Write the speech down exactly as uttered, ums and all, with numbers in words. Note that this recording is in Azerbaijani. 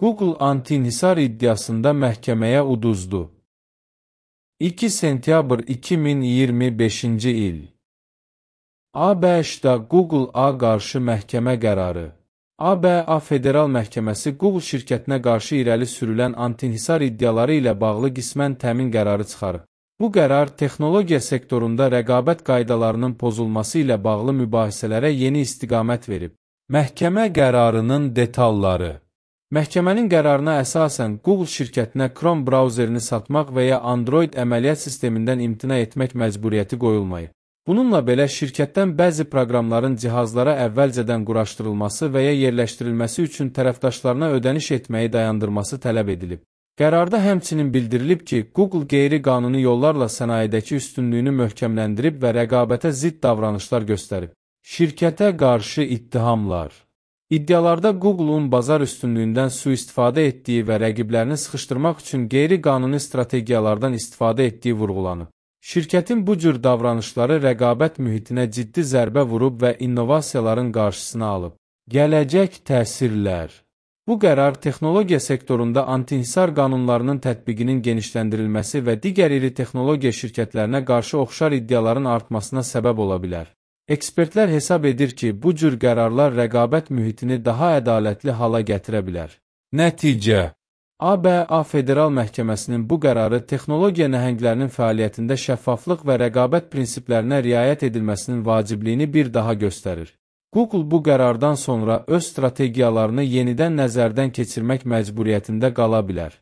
Google anti-inhisar iddiasında məhkəməyə uduzdu. iki sentyabr iki min iyirmi beşinci il. A B Ş-da Google A qarşı məhkəmə qərarı. A B A Federal Məhkəməsi Google şirkətinə qarşı irəli sürülən anti-inhisar iddiaları ilə bağlı qismən təmin qərarı çıxarıb. Bu qərar texnologiya sektorunda rəqabət qaydalarının pozulması ilə bağlı mübahisələrə yeni istiqamət verib. Məhkəmə qərarının detalları. Məhkəmənin qərarına əsasən Google şirkətinə Chrome brauzerini satmaq və ya Android əməliyyat sistemindən imtina etmək məcburiyyəti qoyulmayıb. Bununla belə şirkətdən bəzi proqramların cihazlara əvvəlcədən quraşdırılması və ya yerləşdirilməsi üçün tərəfdaşlarına ödəniş etməyi dayandırması tələb edilib. Qərarda həmçinin bildirilib ki, Google qeyri-qanuni yollarla sənayedəki üstünlüyünü möhkəmləndirib və rəqabətə zidd davranışlar göstərib. Şirkətə qarşı ittihamlar. İddialarda Google-un bazar üstünlüyündən sui-istifadə etdiyi və rəqiblərini sıxışdırmaq üçün qeyri-qanuni strategiyalardan istifadə etdiyi vurğulanıb. Şirkətin bu cür davranışları rəqabət mühitinə ciddi zərbə vurub və innovasiyaların qarşısını alıb. Gələcək təsirlər. Bu qərar texnologiya sektorunda anti-inhisar qanunlarının tətbiqinin genişləndirilməsi və digər iri texnologiya şirkətlərinə qarşı oxşar iddiaların artmasına səbəb ola bilər. Ekspertlər hesab edir ki, bu cür qərarlar rəqabət mühitini daha ədalətli hala gətirə bilər. Nəticə. A B A Federal Məhkəməsinin bu qərarı texnologiya nəhənglərinin fəaliyyətində şəffaflıq və rəqabət prinsiplərinə riayət edilməsinin vacibliyini bir daha göstərir. Google bu qərardan sonra öz strategiyalarını yenidən nəzərdən keçirmək məcburiyyətində qala bilər.